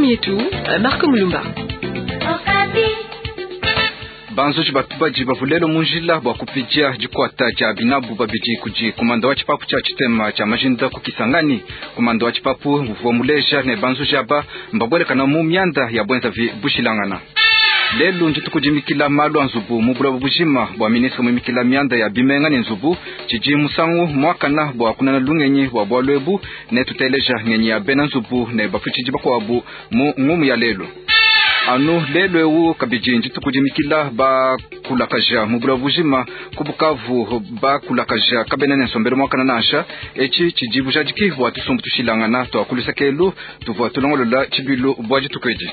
Yetu, Marco Mulumba. Banzuji badi bavua lelo mu njila bua kupidia dikuata dia binabu babidi kudi kumanda wa tshipapu tshia tshitema tshia majinda ku Kisangani. Kumanda wa tshipapu uvua muleja ne banzuji aba mbabuelekana mu mianda ya buenzavi bushilangana. Lelu ndituku dimikila malu a nzubu mu buloba bujima bua ministre muimikila mianda ya bimenga ne nzubu tshidi musangu muakana bua kunana lungenyi bua bualu ebu ne tuteleja ngenyi ya bena nzubu ne bafutshidi bakuabu mu ngumu ya lelu. Anu lelu eu kabidi ndituku dimikila bakulakaja mu buloba bujima ku Bukavu bakulakaja kabena ne nsombelu muakana nansha. Etshi tshidi bujadiki bua tusumbu tushilangana tua kuluseke tuvua tulongolola tshibilu bua dituku edi.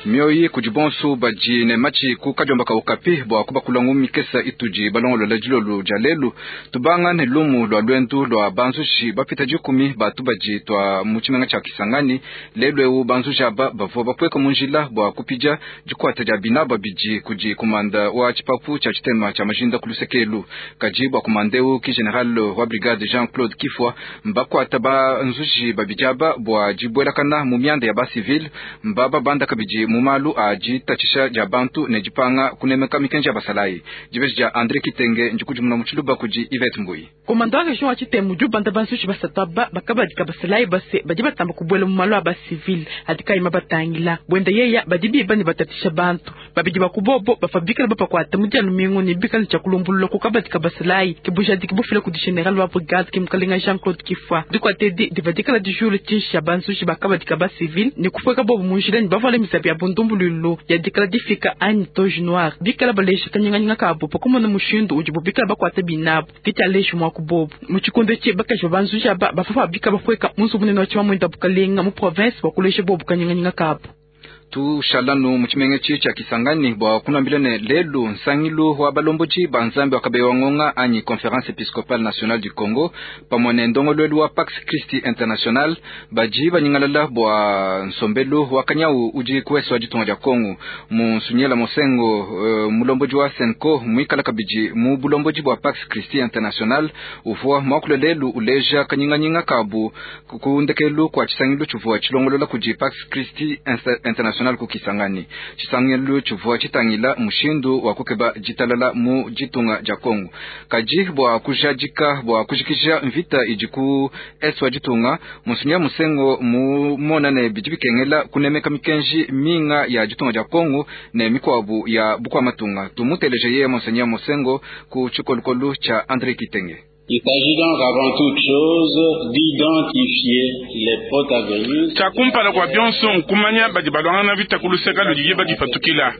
Mioyi kudi bonso badi ne matshi ku kadiomba ka Okapi bua kubakula ngumu mikesa itudi balongolola dilolo dia lelu. Tubanga ne lumu lua luendu lua banzuji bapita 10 ba tubadi tua mu tshimenga tshia Kisangani. Lelu eu banzuji aba bavua bapueka mu njila bua kupidia dikuata dia bina babidi kudi kumanda wa tshipapu tshia tshitema tshia majinda ku lusekelu. Kadi bua kumanda eu ki general wa brigade Jean-Claude Kifwa mbakuata banzuji babidi aba bua dibuelakana mu mianda ya ba civil mbaba banda kabidi mu malu a ditatshisha dia bantu ne dipanga kunemeka mikenji ya basalayi. Dibeji dia Andre Kitenge ndikudimuna mu tshiluba kudi Yvette Mbuyi. Komanda wa region wa Tshitema udi ubanda banzuji basatu aba bakabadika basalayi base badi batamba kubuela mu malu a ba civil adi kayi mabatangila. Buenda yeya badi biba ne batatisha bantu babidi bakubobo bafa bikala bapakuata mu dia lumingu ne bikala tshia kulumbulula ku kabadika basalayi ke bujadiki bufila kudi general wa brigade ke mukalenga Jean-Claude Kifwa. Dikuata edi diva dikala dijula tshinshi ya banzuji bakabadika ba civil ne kupueka bobo mu njila ne bavuala mizabi ya bundumbululu ya dikala difika anyi toge noire bikala balesha kanyinganyinga kabo pakumona mushindu udibo bikala bakuata binabu kitaleji mwa kubobo mu tshikondo etshi bakaji banzuji aba bafa bika bapueka mu nzubu munene wa tshimamuenda bukalenga mu province bua kulesha bobo kanyinganyinga kabo. Tushalanu mu tshimenga etshi tshia Kisangani bua kunambila ne lelu nsangilu wa balombodi ba nzambi wa Kabeya Ngonga anyi Conférence Episcopale Nationale du Congo pamue ne ndongoluelu wa Pax Christi International badi banyingalala bua nsombelu wa kanyau udi kuwesa wa ditunga dia Congo. Mu Nsunyela Mosengo mulombodi wa Senco muikala kabidi mu bulombodi bua Pax Christi International uvua muakule lelu uleja kanyinganyinga kabu ku ndekelu kua tshisangilu tshivua tshilongolola kudi Pax Christi International ku Kisangani. Tshisangilu tshivua tshitangila mushindu wa kukeba ditalala mu ditunga dia Congo. Kadi bua kujadika bua kujikija mvita idi ku est wa ditunga, Monseigneur Musengo mumona ne bidi bikengela kunemeka mikenji minga ya ditunga dia Congo ne mikuabu ya bukua matunga. Tumuteleje yeye Monseigneur Musengo ku tshikolokolo tshia André Kitenge. Il s'agit donc avant toute chose d'identifier les protagonistes. Tshiakumpala kua bionso nkumanya badi balwangana vita ku luseka ludi badipatukila.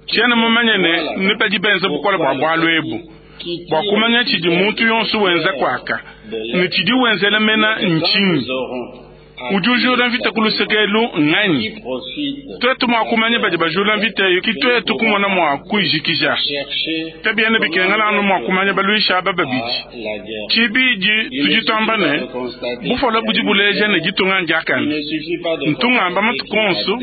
Tshiena mumanye ne ne badi benza bukola bua bualu ebu. Bua kumanya tshidi muntu yonso wenza kuaka ne tshidi wenzela mena ntshinyi. Udi ujula mvita ku luseke elu nganyi? Twetu mua kumanya badi bajula mvita eyo ki twetu kumona mua kuyijikija. Kabiena bikengela anu mua kumanya baluisha aba babidi. Tshibidi tudi tuamba ne bufola budi buleja ne ditunga ndiakane. Ntungamba matuku onso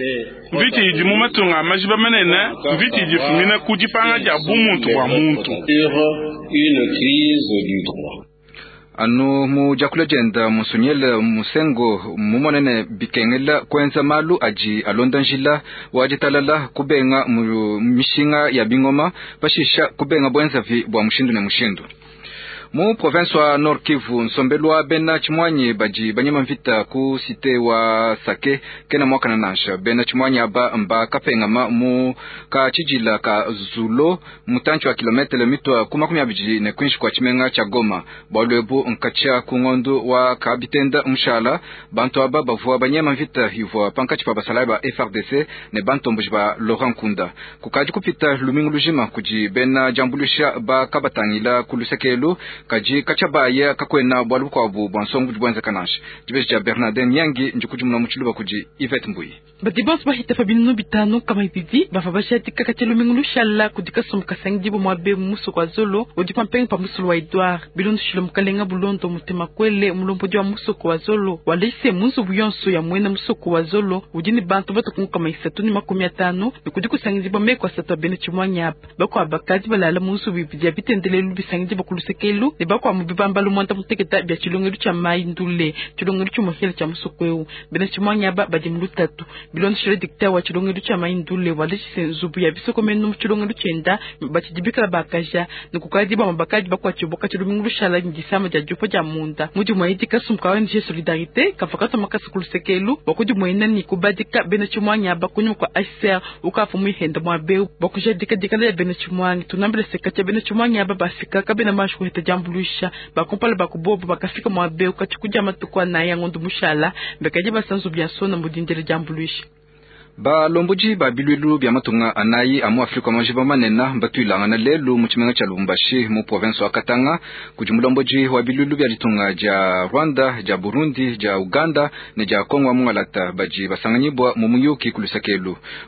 mvita idi mu matunga a majiba manene, mvita idi ifumina ku dipanga dia bumuntu bua muntu. Une crise du droit. Anu mu diakula dienda Monseigneur Musengo mumone ne bikengela kuenza malu adi alonda njila wa ditalala kubenga mu mishinga ya bingoma pashisha kubenga buenzavi bua mushindu ne mushindu. Mu province wa Nord Kivu nsombelu wa bena tshimwanyi badi banyema mvita ku cité wa Sake kena mwakana nansha. Bena tshimwanyi aba mba kapengama mu ka tshijila ka Zulo mutantshi wa kilometre mitwa ku 24 ne kwinshi kwa tshimenga tshia Goma. Bualu ebu nkatshia ku ngondu wa kabitenda mushala bantu aba bavua banyema mvita ivua pankatshi pa basalayi ba FARDC ne bantomboji ba Laurent Nkunda. Kukadi kupita lumingu lujima kudi bena diambuluisha ba kabatangila ku lusekelu kadi katshia kakwena bualu bukuabu bua nsongo budi buenzeka nansha. Dibeji dia Bernardin Nyangi ndikudimuna mu tshiluba kudi Yvette Mbuyi. Badi bonso bahita pa binunu 5 kama ibidi bava bashadika katshia lumingu lushala kudi kasumbu kasangidibo muabe mu musoko wa Zolo udi pampenga pa musulu wa Edouard. Bilondoshile mukalenga Bulondo Mutema Kwele mulombodi wa musoko wa Zolo walese mu nzubu yonso ya mwena musoko wa Zolo udi ne bantu batuku kama 350 ne kudi kusangidibwa meko asatu a bena tshimwanyi apa. Bakuabu bakadi balala mu nzubu ibidi ya bitendelelu bisangidibo ku lusekelu. tshilongelu ne bakwa mu bibambalu mwanda muteketa bia tshilongelu tshia Mayi Ndule, tshilongelu tshimuhela tshia musoko eu. Bena tshimuangi aba badi mu lutatu. Bilondeshile dikta wa tshilongelu tshia Mayi Ndule walejise nzubu ya bisokomenu mu tshilongelu tshienda batshidi bikala bakaja ne kukadi bamwe bakadi bakuatshibua katshia lumingu lushala ne disama dia diupa dia munda. Mu dimue edi kasumbu ka ONG Solidarité kavua katua makasa ku lusekelu bua kudimuena ne kubadika bena tshimuangi aba kunyima kua HCR ukavua muihenda muaba eu bua kujadika dikala dia bena tshimuangi. Tunambile se katshia bena tshimuangi aba bafika kabena banji kuheta diambuluisha. Bakumpala ba kubobo bakafika muaba eu katshia kudia matuku anayi a ngondo mushala bakadi basa nzubu ya sona mu dindila diambuluisha. Balombodi ba bilwilu bia matunga anayi a mu Afrika majiba manene batuilangana lelu mu tshimenga tshia Lubumbashi mu province wa Katanga kudi mulombodi wa bilwilu bia ditunga dia Rwanda, dia Burundi, dia Uganda ne dia Kongo wa Mungalata badi basanganyibwa mu muyuki ku luseke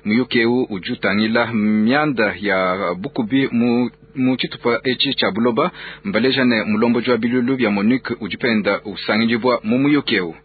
Muyuki eu udi utangila mianda ya bukubi mu mu tshitupa etshi tshia buloba. Mbaleja ne mulombodi wa bilwilu bia MONUC udi penda usangidibwa mu muyuki eu.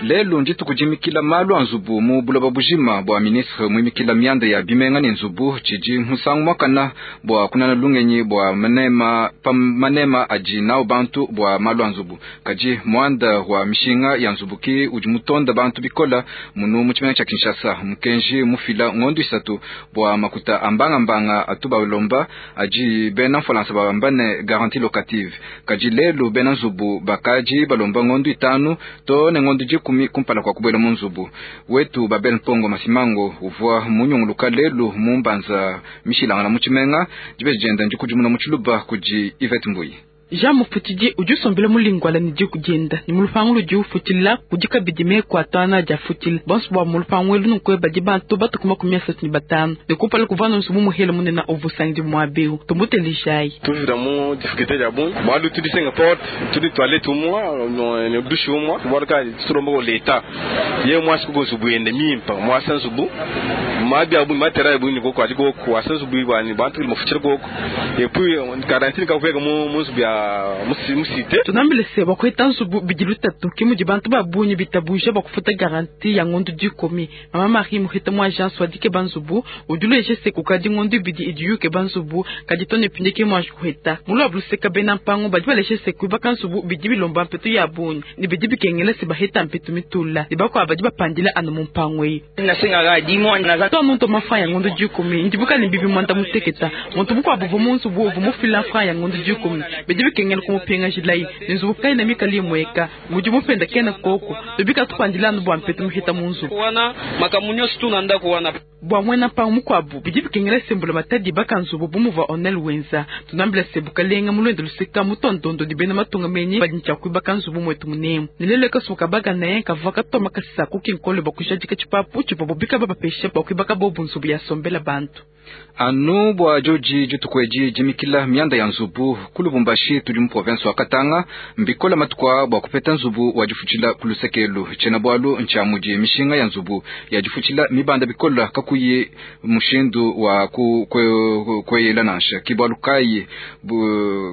Lelu ndituku dimikila malu a nzubu mu buloba bujima bua ministre muimikila mianda ya bimenga ne nzubu tshidi musangu muakana bua kunana lungenyi bua manema pa manema adi nawu bantu bua malu a nzubu. Kadi muanda wa mishinga ya nzubu ki udi mutonda bantu bikola munu mu tshimenga tshia Kinshasa. Mukenji mufila ngondo isatu bua makuta a mbangambanga atu balomba adi bena mfualansa bamba ne garantie locative. Kadi lelu bena nzubu bakadi balomba ngondo itanu to ne ngondo 10 kumpala kwa kubuela mu nzubu wetu. Babel Mpongo Masimango uvua munyunguluka lelu mu mbanza mishilangana mu tshimenga dibeji dienda ndikudimuna mu tshiluba kudi Yvette Mbuyi. Jean Mufutidi udi usombela mulingwala ne diku dienda ne mu lupangu ludi ufutila kudi kabidi meku atanu adi afutila bonso bua mu lupangu elu nunku badi bantu batuku 35 ne kumpala kuvua nzubu muhele munene uvua usangidi muaba eu. Tumutelejayi. Tuvira mu difficulté ya bungi bualu tudi senga porte, tudi toilette umwa ne douche umwa, bualu kayi tulomba ko leta ye mwasi kuko nzubu yende mimpa mwasa nzubu mabi abu matera ya bungi koko adi koko wasa nzubu bani bantu mufutila koko et puis quarantine kakuveka mu nzubu ya musite. Tunambile se bakueta nzubu bidi lutatu ke mudi bantu ba bungi bitabuja bakufuta garantie ya ngondo 10. Mama Marie muhita mu agence wadike banzubu uduleje se kukadi ngondo ibidi idiyuke banzubu kadi tone pinde ke mwanji kuheta mulu abluseka bena mpango badi baleshe se kuibaka nzubu bidi bilomba mpetu ya bungi ne bidi bikengela se baheta mpetu mitula ne bakuabu badi bapandila anu mu mpango eyi. To muntu mafra ya ngondo 10 ndibuka ne bibi mwanda muteketa muntu mukuabu uvua mu nzubu uvua mufila fra ya ngondo 10 bidi bikengela kumupinga jilayi ne nzubu kayi mikali imweka mudi mupenda kena koko tubika tupandila anu bua mpetu muhita mu nzubu bua muena mpango mukuabu bidi bikengela sembula matadi baka nzubu bu muvua onel wenza. Tunambila se bukalenga mulwendo luseka mutondondo di bena matunga menyi badi ntshia kuibaka nzubu mwetu munemu ne lelo ekasuka bagana kavua katoma kasa kukinkole bua kujadika tshipapu tshivua bubika babapesha bua kuibaka bobu nzubu ya sombela bantu. Anu bua joji dituku edi dimikila mianda ya nzubu ku Lubumbashi tudi mu province wa Katanga mbikola matuku bua kupeta nzubu wa difutshila ku lusekelu. Tshiena bualu ntshia mudi mishinga ya nzubu ya difutshila mibanda bikola kakuyi mushindu wa kweyela nansha. Ki bualu kayi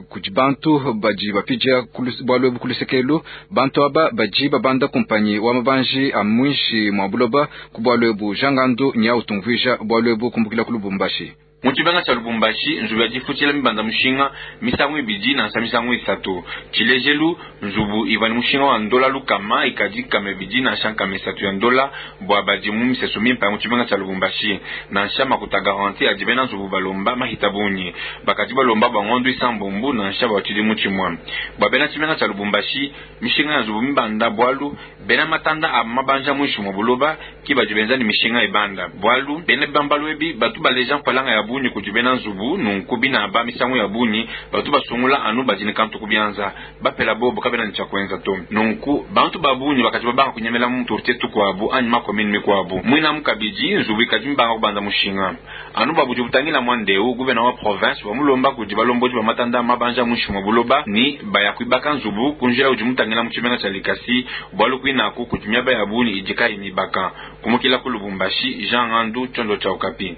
kudi bantu badi bapidia bualu ebu ku lusekelu. Bantu aba badi babanda kumpanyi wa mabanji a mwinshi mwa buloba ku bualu ebu. Jean Gandu nya utumvuija bualu ebu kumbukila ku Lubumbashi. Mu tshimenga tshia Lubumbashi nzubu ya difutshila mibanda mushinga misangu ibidi nansha misangu isatu. Tshilejelu nzubu ivua ne mushinga wa ndola lukama ikadi kama ibidi nansha nkama isatu ya ndola bua badi mu misesu mimpa ya mu tshimenga tshia Lubumbashi. Nansha makuta garantie adi bena nzubu balomba mahita bungi bakadi balomba bua ngondo isambombo nansha bua tshidimu tshimue. Bua bena tshimenga tshia Lubumbashi mishinga ya nzubu mibanda bualu bena matanda a mabanja muinshi mua buloba ki badi benza ne mishinga ibanda bualu bena bibambalu ebi batu baleja mfalanga ya bungi kudi bena nzubu nunku bina ba misangu ya bungi batu basungula anu badi ne kantu kubianza bapela bobo kabena ne tshia kuenza to. Nunku bantu ba bungi bakadi babanga kunyemela mu turtie tukuabu anyi makomini mikuabu mwina mu kabidi nzubu ikadi mibanga kubanda mushinga anu babudi butangila mwandeu guvena wa province wa mulomba kudi balombodi ba matanda mabanja muinshi mua buloba ni baya kuibaka nzubu kunjila udi mutangila mu tshimenga tshia Likasi bualu kuinaku kudi miaba ya bungi idi kayi mibaka. Kumukila ku Lubumbashi, Jean Ngandu, Tshiondo tshia Okapi.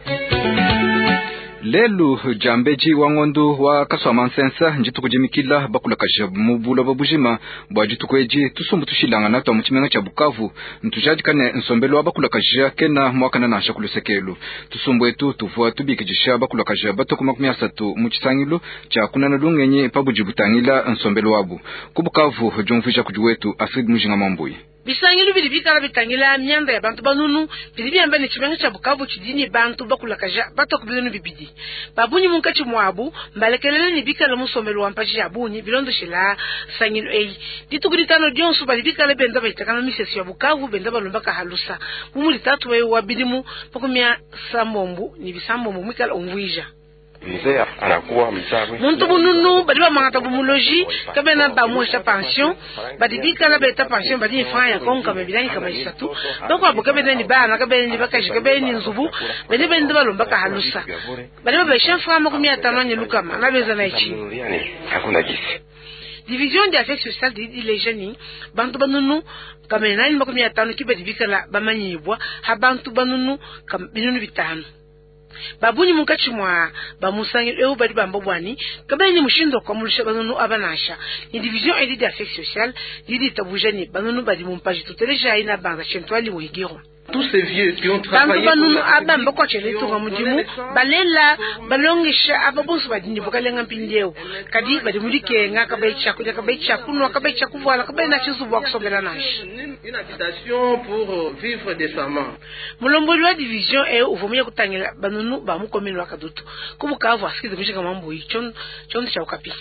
Lelu diambedi wa ngondu wa Kasuamansensa ndituku dimikila bakulakaja mu buloba bujima. Bua dituku edi tusumbu tushilangana tua mu tshimenga tshia Bukavu ntujadika ne nsombelu wa bakulakaja kena muakana nansha ku lusekelu. Tusumbu etu tuvua tubikidisha bakulakaja batue ku 30 mu tshisangilu tshia kunana lungenyi pa budi butangila nsombelu wabu. Ku Bukavu diumvuija kudi wetu Astrid Mujinga Mambuyi. Bisangilu bidi bikala bitangila mianda ya bantu banunu bidi biamba ne tshimenga tshia Bukavu tshidi ne bantu bakulakaja batua ku 200. Babunyi munkatshi muabu mbalekelele ne bikala musombelu wa mpaji ya bungi bilondoshela sangilu eyi. Dituku ditano dionso badi bikala benda bayitakana misesu ya Bukavu benda balomba kahalusa. Bumuli tatu wewe wa bidimu 75 mwikala umvuija. Mzee anakuwa mchawi. Muntu bununu badi bamangata bumuloji kabena bamwesha pension badi bikala beta pension badi ni franc ya konka mebilani kama isatu bakwabo kabena ni bana kabena ni bakaji kabena ni nzubu bende bende balomba kahalusa badi babesha franc 50 ni lukama na beza na ichi hakuna gisi. Division des affaires sociales di lejani bantu banunu kamena ni 50 kibadi bikala bamanyibwa ha bantu banunu binunu bitano. Babunyi munkatshi mwa bamusangi eu badi bamba bwani kabeni mushindo kwa mulusha banunu abanasha ni division edi des affaires sociales didi tabujani banunu badi mumpaji tuteleja ina banza chentwali wegiro. Tous ces vieux qui ont Bantu travaillé banunu abamba kwa cheletu nga mudimu balela balongesha ababonso badi ndibukalenga mpindieu kadi badi mudikenga kabayi chakulya kabayi chakunwa kabayi chakuvuala kabayi na chizubu wakusombela nashi une habitation pour vivre décemment. Mulomboli wa division e uvumia kutangila banunu ba mukomini wa Kadutu kubukavu asikize mishika mambo chondo cha ukapi.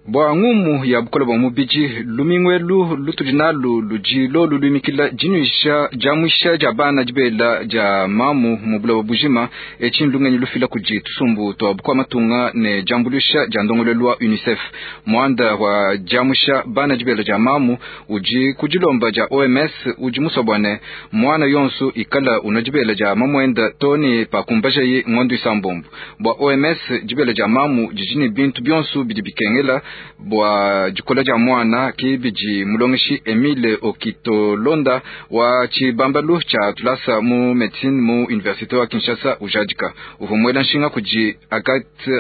Bwa ngumu ya bukola bwa mubiji lumingwelu lutudi nalu lujilo lulumikila jinuisha jamwisha ja bana jibela ja mamu mu buloba bujima eci lungenyi lufila kudi tusumbu twa bukwa matunga ne jambulusha ja ndongolelu wa UNICEF. Mwanda wa jamwisha bana jibela ja mamu uji kujilomba ja OMS uji musobwane mwana yonsu ikala uno jibela ja mamwenda toni pakumbajayi ngondo isambombo. Bwa OMS jibela ja mamu jijini bintu byonsu bidi bikengela bwa jikola ja mwana kibiji mulongeshi Emile Okitolonda wa chibambalu cha tulasa mu medicine mu universite wa Kinshasa ujadika uvumwela nshinga kuji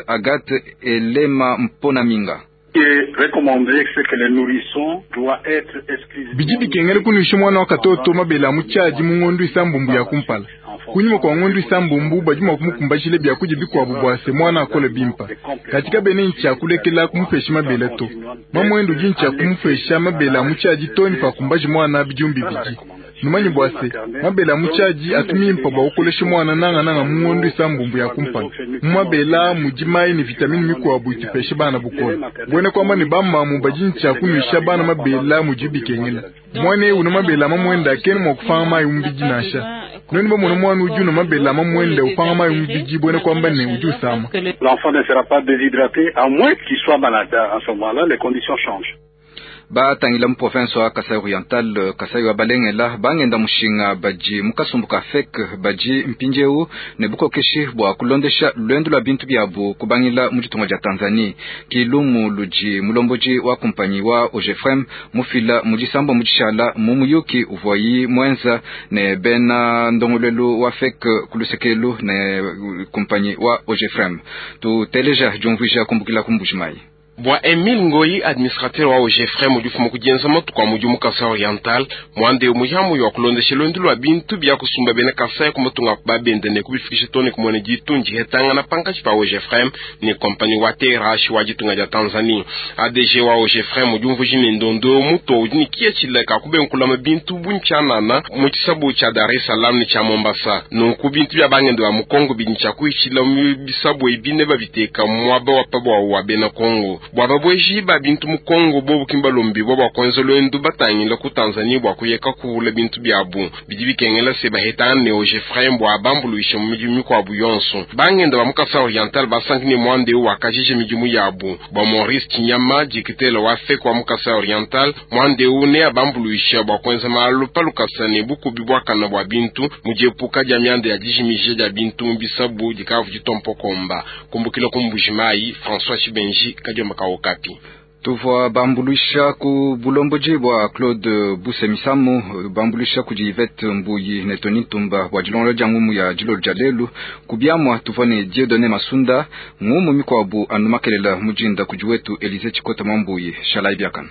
Agathe Elema Mponaminga. Bidi bikengele kunuisha mwana wa katoto mabela muchaji mu ngondu isambumbu ya kumpala kunyuma kwa ngondu isambumbu badi mwa kumukumbashile byakuja bikwabu bwase mwana akole bimpa katika bene ncha kulekela kumupesha mabela to mamwendo jincha kumupesha mabela muchaji toni pa kumbaji mwana bijumbi biji numanyi bwase mabela muchaji atumimpa bwa ukolesha mwana nanga nanga mu ngondu isambumbu ya kumpala mu mabela mujimai ni vitamini mikwabu itipesha bana bukola bwene kwamba ni bamamu bajincha kunywisha bana mabela mujibikengela mwana uno mabela mamwenda akene mwa kufanga mayi umbiji nasha noni bamona mwana uji uno mabela mamwenda upanga mayi umbiji bwene kwamba ne uji usama. L'enfant ne sera pas déshydraté à moins qu'il soit malade. À ce moment-là, les conditions changent. Batangila mu province wa Kasai Oriental Kasai wa Balengela bangenda mushinga baji mukasumbu ka FEC baji mpinjeu ne bukokeshi bwa kulondesha lwendo lwa bintu byabu kubangila mu ditunga dia Tanzania kilumu luji mulomboji wa kumpanyi wa OGFREM mufila mudisambo mudishala mu muyuki uvoyi mwenza ne bena ndongolelu wa FEC kulusekelu ne kumpanyi wa OGFREM tuteleja jumvuija kumbukila kumbujimai. Bwa Emile Ngoi, administrateur wa OGFREM udi kujenza matuku a mudimu Kasai Oriental mwande muhiamu wa kulondesha lwendu lwa bintu bya kusumba bena Kasai kumatunga babende ne kubifikisha tone kumwene ditunji hetangana pankachi pa OGFREM ne kompani wa TRH wa ditunga dia Tanzania. ADG wa OGFREM udi umvuji ne ndondo muto udi ne kiya tshileka kubenkulama bintu bunchanana mu tshisabu tshia Dar es Salaam ne tshia Mombasa. Nunku bintu bya bangende ba mu Kongo bidi tshia kuishila mu bisabu ebi ne babiteka muaba wa pabwa wa bena Kongo. Bwa babweji ba bintu mu Kongo bobu kimbalombi bwa kwanza lwendu batangila ku Tanzania bwa kuyeka kuwula bintu byabu bidi bikengela se bahetana ne OGFREM bwa bambuluisha mu midimu mikwabu yonso. Bangenda ba mu Kasai Oriental basanki ne mwande wakajije midimu yabu. Bwa Maurice Chinyama dikitela wa FEC wa mu Kasai Oriental mwande ne abambuluisha bwa kwenza malu palukasa ne bukubi bwakana bwa bintu mudiepuka dia myanda ya dijimije dia bintu mu bisabu dikavu ditompokomba. Kumbukila kumbujimai François Chibenji kadiomba Okapi. Tuvua bambuluisha ku bulombodi bua Claude Busemisamu, bambuluisha kudi Yvette Mbuyi ne Tony Ntumba bua dilongolola dia ngumu ya dilolo dia lelu. Ku biamua tuvua ne Dieudonné Masunda, ngumu mikuabu anu makelela mujinda kudi wetu Elise Chikota Mwambuyi. Shalayi biakana.